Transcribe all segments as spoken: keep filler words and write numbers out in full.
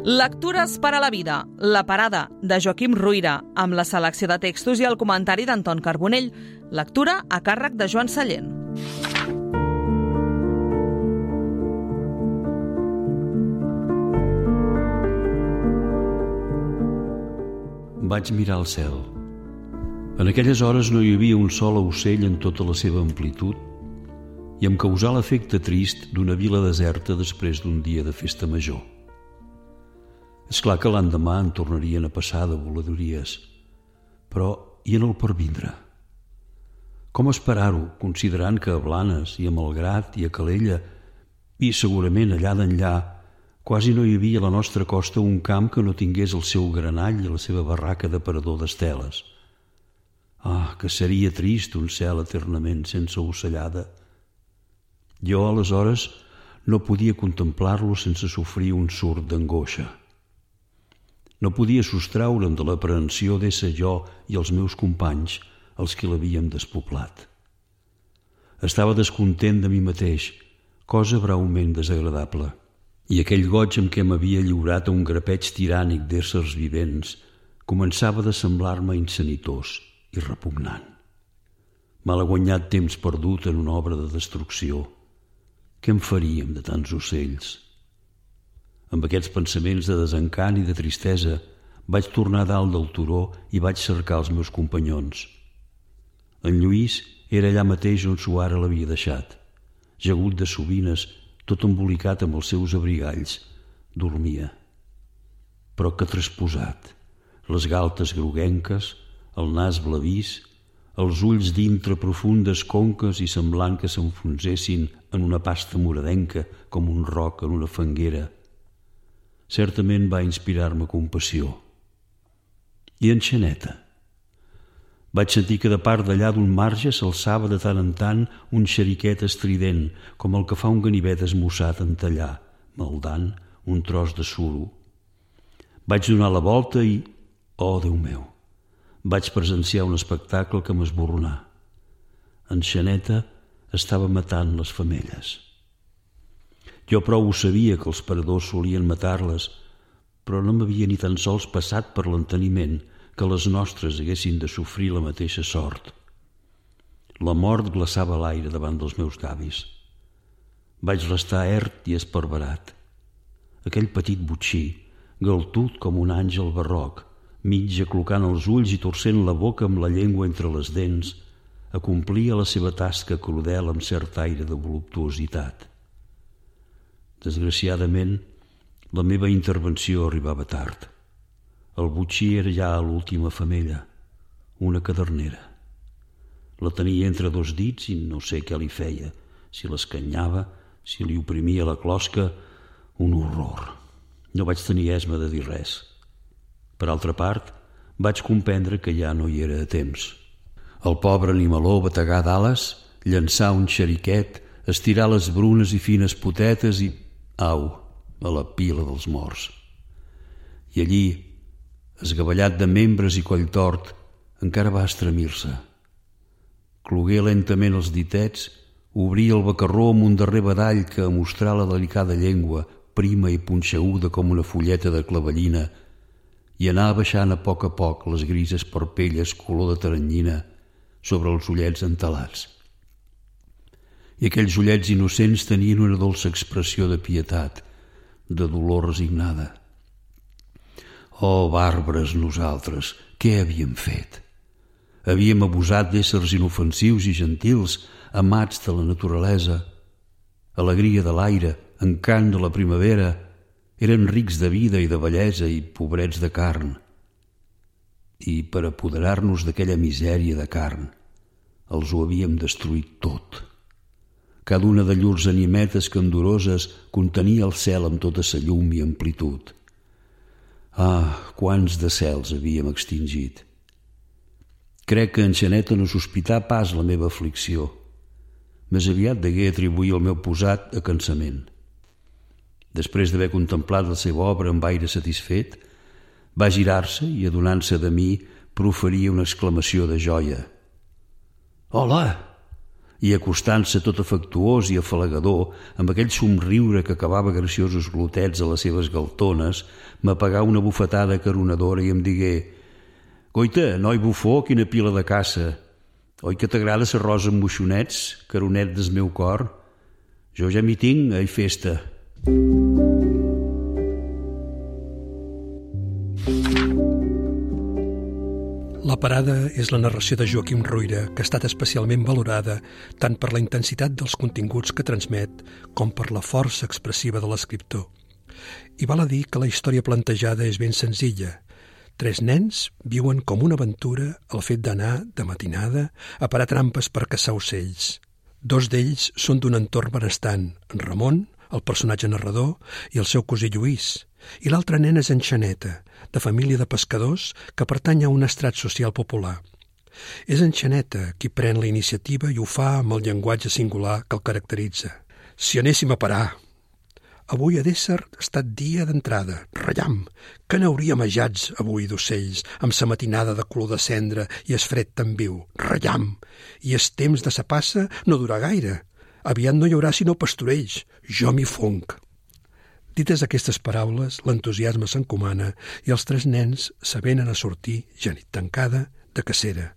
Lectures per a la vida, La parada, de Joaquim Ruyra, amb la selecció de textos i el comentari d'Anton Carbonell. Lectura a càrrec de Joan Sallent. Vaig mirar al cel. En aquelles hores no hi havia un sol ocell en tota la seva amplitud i em causà l'efecte trist d'una vila deserta després d'un dia de festa major. És clar que l'endemà en tornarien a passar de voladories, però i en el pervindre? Com esperar-ho, considerant que a Blanes i a Malgrat i a Calella i segurament allà d'enllà quasi no hi havia a la nostra costa un camp que no tingués el seu granall i la seva barraca de parador d'esteles. Ah, que seria trist un cel eternament sense ocellada. Jo, aleshores, no podia contemplar-lo sense sofrir un surt d'angoixa. No podia sostraure'm de l'aprehensió d'ésser jo i els meus companys els que l'havíem despoblat. Estava descontent de mi mateix, cosa breument desagradable, i aquell goig amb què m'havia lliurat a un grapeig tirànic d'éssers vivents començava de semblar-me insanitós i repugnant. Malaguanyat temps perdut en una obra de destrucció. Què en faríem de tants ocells? Amb aquests pensaments de desencant i de tristesa vaig tornar dalt del turó i vaig cercar els meus companyons. En Lluís era allà mateix on Suara l'havia deixat. Jagut de sovines, tot embolicat amb els seus abrigalls, dormia. Però que trasposat, les galtes groguenques, el nas blavís, els ulls dintre profundes conques i semblant que s'enfonsessin en una pasta moradenca com un roc en una fanguera. Certament va inspirar-me compassió. I en Xaneta? Vaig sentir que de part d'allà d'un marge s'alçava de tant en tant un xeriquet estrident, com el que fa un ganivet esmussat en tallar, maldant un tros de suro. Vaig donar la volta i, oh, Déu meu, vaig presenciar un espectacle que m'esborronà. En Xaneta estava matant les femelles. Jo prou ho sabia que els paradors solien matar-les, però no m'havia ni tan sols passat per l'enteniment que les nostres haguessin de sofrir la mateixa sort. La mort glaçava l'aire davant dels meus llavis. Vaig restar ert i esparverat. Aquell petit botxí, galtut com un àngel barroc, mig aclocant els ulls i torcent la boca amb la llengua entre les dents, acomplia la seva tasca crudel amb cert aire de voluptuositat. Desgraciadament, la meva intervenció arribava tard. El botxí era ja a l'última femella, una cadernera. La tenia entre dos dits i no sé què li feia, si l'escanyava, si li oprimia la closca, un horror. No vaig tenir esma de dir res. Per altra part, vaig comprendre que ja no hi era a temps. El pobre animaló bategar d'ales, llançar un xeriquet, estirar les brunes i fines potetes i... au, a la pila dels morts. I allí, esgavellat de membres i coll tort, encara va estremir-se. Clogué lentament els ditets, obria el bacarró amb un darrer badall que, a mostrar la delicada llengua, prima i punxeguda com una fulleta de clavellina, i anar baixant a poc a poc les grises parpelles color de taranyina sobre els ullets entelats. I aquells ullets innocents tenien una dolça expressió de pietat, de dolor resignada. Oh, bàrbares nosaltres, què havíem fet? Havíem abusat d'éssers inofensius i gentils, amats de la naturalesa. Alegria de l'aire, encant de la primavera, eren rics de vida i de bellesa i pobrets de carn. I per apoderar-nos d'aquella misèria de carn, els ho havíem destruït tot. Cada una de llurs animetes candoroses contenia el cel amb tota sa llum i amplitud. Ah, quants de cels havíem extingit! Crec que en Xaneta no sospità pas la meva aflicció. Més aviat degué atribuir el meu posat a cansament. Després d'haver contemplat la seva obra amb aire satisfet, va girar-se i, adonant-se de mi, proferia una exclamació de joia. «Hola! i acostant-se tot afectuós i afalagador, amb aquell somriure que acabava graciosos glotets a les seves galtones, m'apagà una bufetada caronadora i em digué: «Goita, noi bufó, quina pila de caça! Oi que t'agrada l'arròs amb moixonets, caronet del meu cor? Jo ja m'hi tinc, ai festa!» La parada és la narració de Joaquim Ruyra, que ha estat especialment valorada tant per la intensitat dels continguts que transmet com per la força expressiva de l'escriptor. I val a dir que la història plantejada és ben senzilla. Tres nens viuen com una aventura el fet d'anar, de matinada, a parar trampes per caçar ocells. Dos d'ells són d'un entorn benestant, en Ramon, el personatge narrador, i el seu cosí Lluís, i l'altre nen és en Xaneta, de família de pescadors que pertany a un estrat social popular. És en Xaneta qui pren la iniciativa i ho fa amb el llenguatge singular que el caracteritza. Si anéssim a parar. Avui ha d'ésser estat dia d'entrada, rellam, que n'hauríem ajats avui d'ocells, amb sa matinada de color de cendra i es fred tan viu, rellam, i es temps de sa passa no durà gaire. Aviat no hi haurà sinó pastorells, jo m'hi fonc. Dites aquestes paraules, l'entusiasme s'encomana i els tres nens s'avenen a sortir, ja nit tancada, de cacera.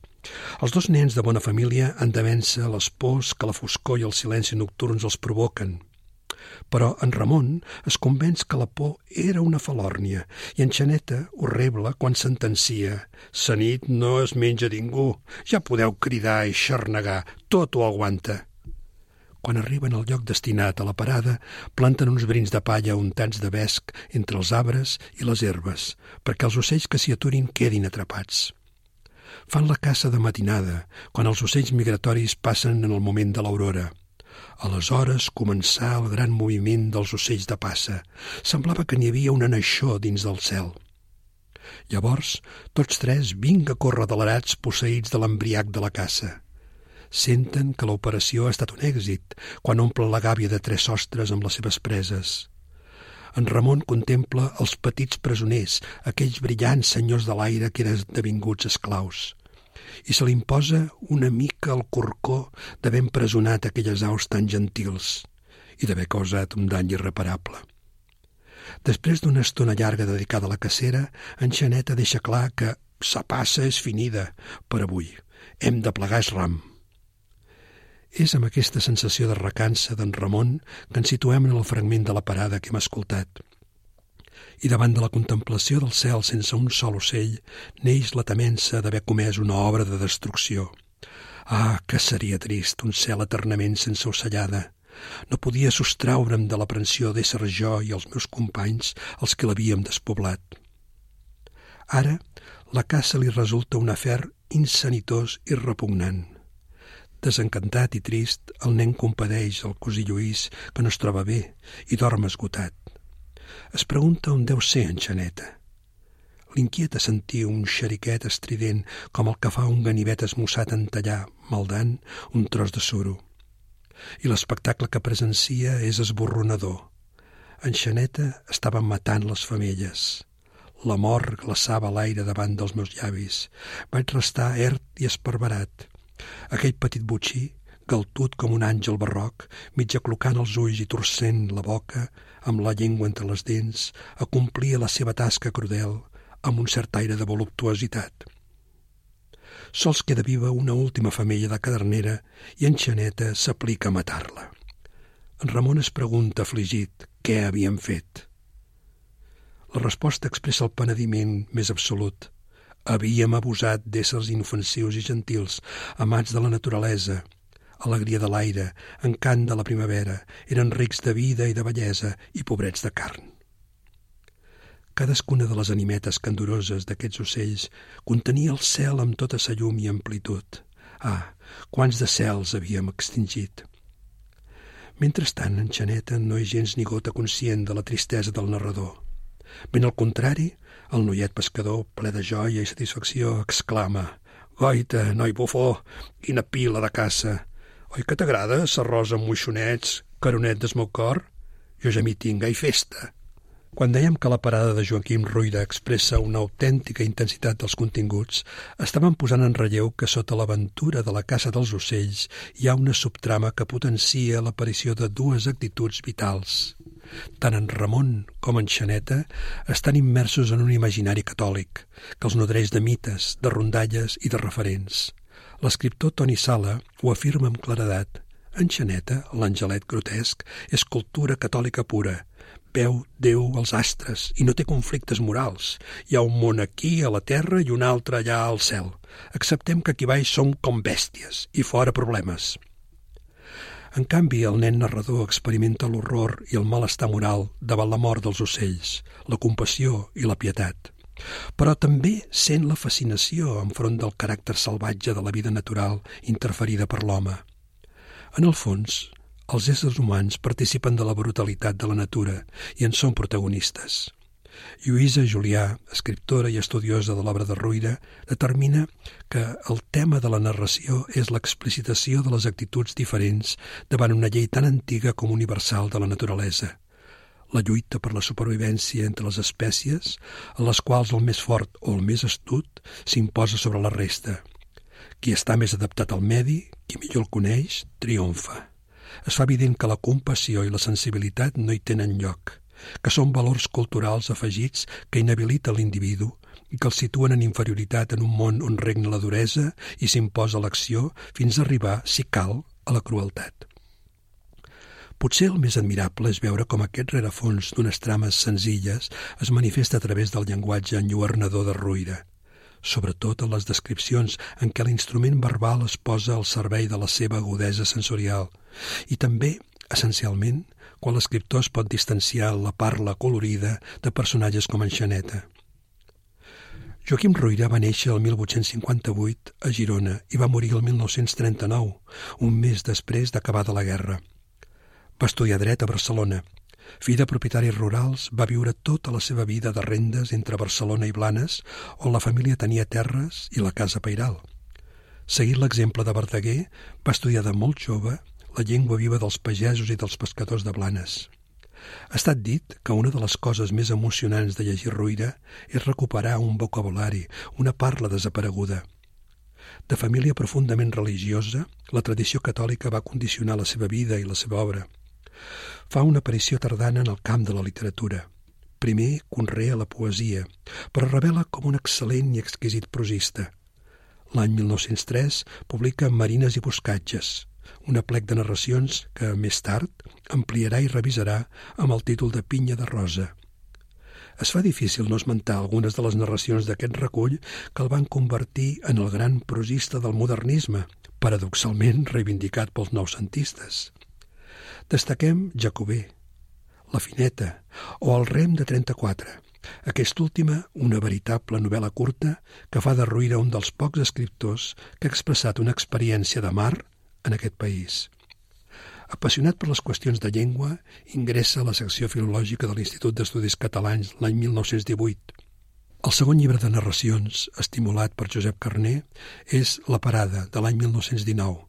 Els dos nens de bona família han de vèncer les pors que la foscor i el silenci nocturns els provoquen. Però en Ramon es convenç que la por era una falòrnia i en Xaneta ho rebla quan sentencia: «Sa nit no es menja ningú, ja podeu cridar i xarnegar, tot ho aguanta». Quan arriben al lloc destinat a la parada, planten uns brins de palla untats de vesc entre els arbres i les herbes, perquè els ocells que s'hi aturin quedin atrapats. Fan la caça de matinada, quan els ocells migratoris passen en el moment de l'aurora. Aleshores començà el gran moviment dels ocells de passa. Semblava que n'hi havia una naixó dins del cel. Llavors, tots tres vinga corredelarats posseïts de l'embriac de la caça. Senten que l'operació ha estat un èxit quan omple la gàbia de tres sostres amb les seves preses. En Ramon contempla els petits presoners, aquells brillants senyors de l'aire que eren devinguts esclaus, i se li imposa una mica el corcó d'haver empresonat aquelles aus tan gentils i d'haver causat un dany irreparable. Després d'una estona llarga dedicada a la cacera, en Xaneta deixa clar que sa passa és finida per avui, hem de plegar es ram. És amb aquesta sensació de recança d'en Ramon que ens situem en el fragment de la parada que hem escoltat. I davant de la contemplació del cel sense un sol ocell, neix la temença d'haver comès una obra de destrucció. Ah, que seria trist un cel eternament sense ocellada. No podia sostraure'm de l'aprensió d'ésser jo i els meus companys els que l'havíem despoblat. Ara, la caça li resulta un afer insanitós i repugnant. Desencantat i trist, el nen compadeix el cosí Lluís, que no es troba bé i dorm esgotat. Es pregunta on deu ser en Xaneta. L'inquieta sentir un xeriquet estrident com el que fa un ganivet esmussat en tallar, maldant, un tros de suro. I l'espectacle que presencia és esborronador. En Xaneta estava matant les femelles. La mort glaçava l'aire davant dels meus llavis. Vaig restar ert i esparverat. Aquell petit botxí, galtut com un àngel barroc, mig aclocant els ulls i torcent la boca, amb la llengua entre les dents, acomplia la seva tasca crudel amb un cert aire de voluptuositat. Sols queda viva una última femella de cadernera i en Xaneta s'aplica a matar-la. En Ramon es pregunta afligit què havien fet. La resposta expressa el penediment més absolut. Havíem abusat d'éssers inofensius i gentils, amats de la naturalesa, alegria de l'aire, encant de la primavera, eren rics de vida i de bellesa i pobrets de carn. Cadascuna de les animetes candoroses d'aquests ocells contenia el cel amb tota sa llum i amplitud. Ah, quants de cels havíem extingit! Mentrestant, en Xaneta no és gens ni gota conscient de la tristesa del narrador. Ben al contrari, el noiet pescador, ple de joia i satisfacció, exclama: «Goita, noi bufó, quina pila de caça! Oi que t'agrada l'arròs amb moixonets, caronet del meu cor? Jo ja m'hi tinc, ai festa!» Quan dèiem que la parada de Joaquim Ruyra expressa una autèntica intensitat dels continguts, estàvem posant en relleu que sota l'aventura de la caça dels ocells hi ha una subtrama que potencia l'aparició de dues actituds vitals. Tant en Ramon com en Xaneta estan immersos en un imaginari catòlic, que els nodreix de mites, de rondalles i de referents. L'escriptor Toni Sala ho afirma amb claredat. En Xaneta, l'angelet grotesc, és cultura catòlica pura. Veu Déu als astres i no té conflictes morals. Hi ha un món aquí, a la terra, i un altre allà al cel. Acceptem que aquí baix som com bèsties i fora problemes. En canvi, el nen narrador experimenta l'horror i el malestar moral davant la mort dels ocells, la compassió i la pietat. Però també sent la fascinació enfront del caràcter salvatge de la vida natural interferida per l'home. En el fons, els éssers humans participen de la brutalitat de la natura i en són protagonistes. Lluïsa Julià, escriptora i estudiosa de l'obra de Ruyra, determina que el tema de la narració és l'explicitació de les actituds diferents davant una llei tan antiga com universal de la naturalesa. La lluita per la supervivència entre les espècies, en les quals el més fort o el més astut s'imposa sobre la resta. Qui està més adaptat al medi, qui millor el coneix, triomfa. Es fa evident que la compassió i la sensibilitat no hi tenen lloc, que són valors culturals afegits que inhabiliten l'individu i que el situen en inferioritat en un món on regna la duresa i s'imposa l'acció fins a arribar, si cal, a la crueltat. Potser el més admirable és veure com aquest rerefons d'unes trames senzilles es manifesta a través del llenguatge enlluernador de Ruyra, sobretot en les descripcions en què l'instrument verbal es posa al servei de la seva agudesa sensorial i també, essencialment, quan l'escriptor es pot distanciar en la parla colorida de personatges com en Xaneta. Joaquim Ruyra va néixer el mil vuit-cents cinquanta-vuit a Girona i va morir el mil nou-cents trenta-nou, un mes després d'acabada la guerra. Va estudiar dret a Barcelona. Fill de propietaris rurals, va viure tota la seva vida de rendes entre Barcelona i Blanes, on la família tenia terres i la casa pairal. Seguint l'exemple de Verdaguer, va estudiar de molt jove la llengua viva dels pagesos i dels pescadors de Blanes. Ha estat dit que una de les coses més emocionants de llegir Ruyra és recuperar un vocabulari, una parla desapareguda. De família profundament religiosa, la tradició catòlica va condicionar la seva vida i la seva obra. Fa una aparició tardana en el camp de la literatura. Primer conrea la poesia, però revela com un excel·lent i exquisit prosista. L'any mil nou-cents tres publica Marines i boscatges, un aplec de narracions que, més tard, ampliarà i revisarà amb el títol de Pinya de Rosa. Es fa difícil no esmentar algunes de les narracions d'aquest recull que el van convertir en el gran prosista del modernisme, paradoxalment reivindicat pels noucentistes. Destaquem Jacobè, La Fineta o El rem de trenta-quatre, aquesta última una veritable novel·la curta que fa de Ruyra un dels pocs escriptors que ha expressat una experiència de mar en aquest país. Apassionat per les qüestions de llengua, ingressa a la secció filològica de l'Institut d'Estudis Catalans l'any mil nou-cents divuit. El segon llibre de narracions, estimulat per Josep Carner, és La Parada, de l'any mil nou-cents dinou,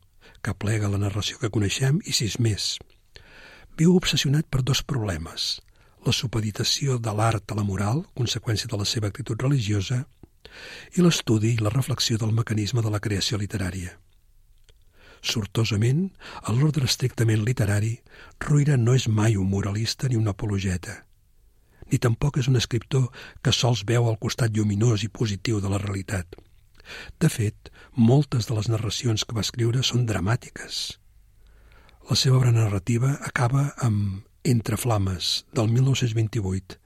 que aplega la narració que coneixem i sis més. Viu obsessionat per dos problemes: la supeditació de l'art a la moral, conseqüència de la seva actitud religiosa, i l'estudi i la reflexió del mecanisme de la creació literària. Sortosament, a l'ordre estrictament literari, Ruyra no és mai un moralista ni un apologeta. Ni tampoc és un escriptor que sols veu el costat lluminós i positiu de la realitat. De fet, moltes de les narracions que va escriure són dramàtiques. La seva obra narrativa acaba amb Entre flames, del mil nou-cents vint-i-vuit,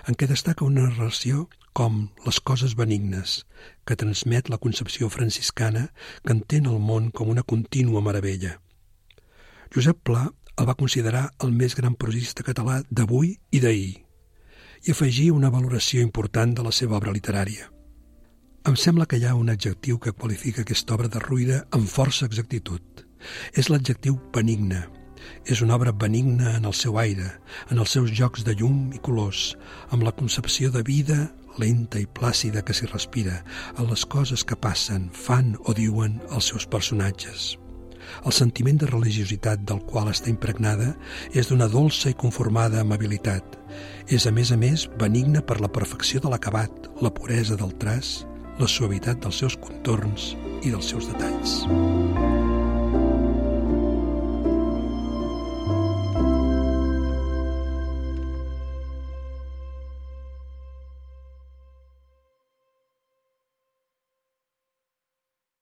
en què destaca una narració com Les coses benignes, que transmet la concepció franciscana que entén el món com una contínua meravella. Josep Pla el va considerar el més gran prosista català d'avui i d'ahir, i afegir una valoració important de la seva obra literària. Em sembla que hi ha un adjectiu que qualifica aquesta obra de Ruyra amb força exactitud. És l'adjectiu benigne. És una obra benigna en el seu aire, en els seus jocs de llum i colors, amb la concepció de vida lenta i plàcida que s'hi respira, en les coses que passen, fan o diuen els seus personatges. El sentiment de religiositat del qual està impregnada és d'una dolça i conformada amabilitat. És, a més a més, benigna per la perfecció de l'acabat, la puresa del traç, la suavitat dels seus contorns i dels seus detalls.